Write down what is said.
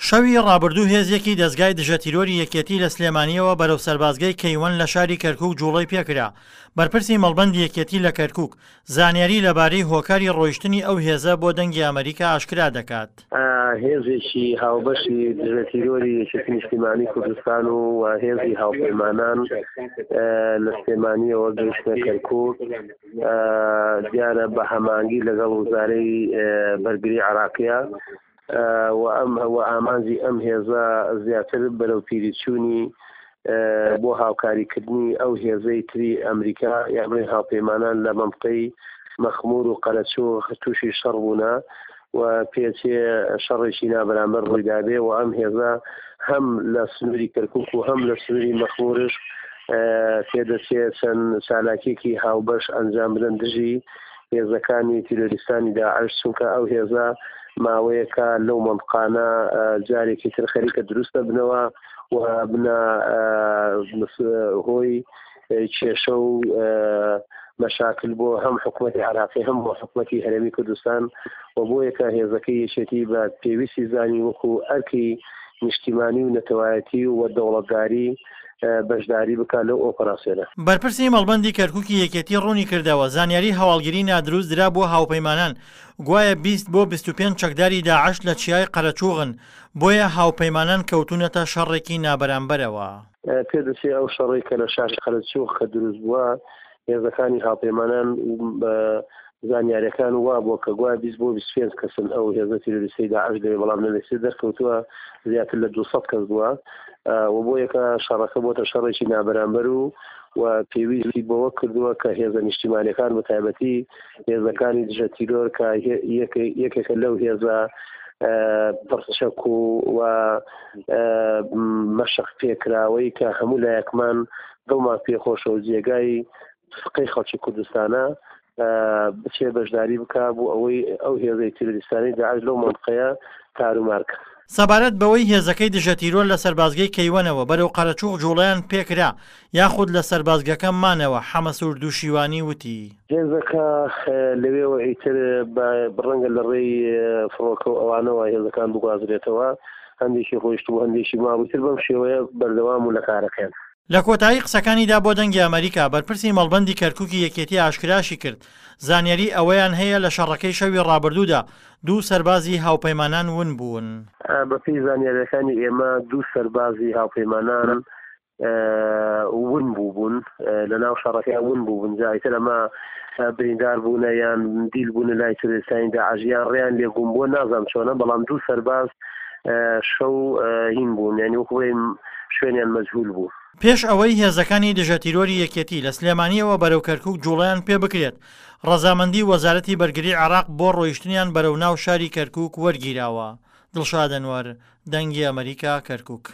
شەوی ڕابردوو هێزێکی دەزگای دژەتیرۆری یەکێتی لە سلێمانییەوە بەرەو سەربازگەی کەیوەن لە شاری کەرکوک جوڵەی پێکرا، بەرپرسی مەڵبەندی یەکێتی لە کەرکوک زانیاری لەبارەی هۆکاری ڕۆیشتنی ئەو هێزە بۆ دەنگی ئەمەریکا ئاشکرا دەکات. هێزێکی هاوبەشی دژەتیرۆری یەکێتی نیشتیمانی کوردستان و هێزی هاوپەیمانان لە سلێمانییەوە گەیشتنە کەرکوک، دیارە بە هەمانگی لەگەڵ وزارەی بەرگری عێراقیە. و ئەم و ئامانجی ئەم هێزە زیاتر بەرەو پیریچوونی بۆ هاوکاریکردنی ئەو هێزەی تری ئەمریکا یا بڵێن هاوپەیمانان لە مەنتقەی مەخمور و قەرەچوغ تووشی شەڕ بوونە و پێچێ شەڕێکی نابەرامبەر ڕوویدابێ و ئەم هێزە هەم لە سنووری کەرکک و هەم لە سنووری مەخمورش پێدەچێ چەند چالاکیەکی هاوبەش ئەنجام بدەن دژی هێزەکانی تیرۆریستانی داعش، چونکە ئەو هێزە ماوەیەکە لەو مەنتقانە جارێکی تر خەریکە دروست دەبنەوە و بنە هۆی کێشە و مەشاکل بۆ هەم حکوومەتی عراقی هەم بۆ حکوومەتی هەرێمی کوردستان و بۆ یەکە هێزەکەی یەکێتی بە پێویستی زانی وەکو ئەرکی نیشتیمانی و نەتەوایەتی و دەوڵەتداری بەشداری بکات لەو ئۆپەراسیۆنە. بەرپرسی مەڵبەندی کەرکوکی یەکێتی ڕوونیکردەوە، زانیاری هەواڵگری نادروست درابووە هاوپەیمانان، گوایە 20 بۆ 25 چەکداری داعش لە چیای قەرەچوغن، بۆیە هاوپەیمانان کەوتوونەتە شەڕێکی نابەرامبەرەوە. پێدەچێت ئەو شەڕەی کە لە شاری قەرەچوغ کە دروست بووە، هێزەکانی هاوپەیمانان زانیاریەکان وابووە کە گوایە 20 بۆ 25 کەسن ئەو هێزە تیرۆریستەی داعش لەوێ، بەڵام لە لەسێ دەرکەوتووە زیاتر لە 200 کەس بووە و بۆ یەکە شەڕەکە بۆتە شەڕێکی نابەرامبەر و و پێویستی بەوە کردووە کە هێزە نیشتیمانەکان بە تایبەتی هێزەکانی دژە تیرۆر کە یەکێکە لەو هێزە پڕچەک و و مەشق پێکراوەی کە هەموو لایەکمان دڵمان پێخۆشە و جێگای سقەی خەڵکی کوردستانە بچێ بەشداری بکا بۆ ئەوەی ئەو هێزەی تیرۆریستانەی داعش لەو مەنتقەیە تارومار کەن. سەبارەت بەوەی هێزەکەی دژەتیرۆر لە سەربازگەی کەیوەنەوە بەرەو قەرەچوغ جوڵەیان پێکرا یاخود لە سەربازگەکە مانەوە، حەمەسوور دووشیوانی وتی. هێزەکە لەوێوە ئیتر بە ڕەنگە لە ڕێی فڕۆکە و ئەوانەوە هێزەکان بگوازرێتەوە، هەندێکی ڕۆیشتبوو هەندێکی مابوو، ئیتر بەم شێوەیە بەردەوام بوون لە کارەکەیان. لە کۆتایی قسەکانیدا بۆ دەنگی ئەمەریکا، بەرپرسی مەڵبەندی کەرکوکی یەکێتی ئاشکراشی کرد، زانیاری ئەوەیان هەیە لە شەڕەکەی شەوی ڕابردوودا دوو سەربازی هاوپەیمانان ون بوون. بەپێی زانیارییەکانی ئێمە دوو سەربازی هاوپەیمانان ون بووبوون لەناو شەڕەکە ون بووبوون، جا ئیتر ئەمە بریندار بوونە یان دیل بوونە لای تیرۆریستانی داعش یان ڕێیان لێ گوم بووە نازانم چۆنە، بەڵام دوو سەرباز شەو هین بوون، یانی وەکو بڵێین شوێنیان مەجهول بوو. پێش ئەوەی هێزەکانی دژەتیرۆری یەکێتی لە سلێمانییەوە بەرەو کەرکوک جوڵەیان پێبکرێت، ڕەزامەندی وەزارەتی بەرگری عێراق بۆ ڕۆیشتنیان بەرەو ناو شاری کەرکوک وەرگیراوە. دڵشاد ئەنوەر، دەنگی ئەمەریکا، کەرکوک.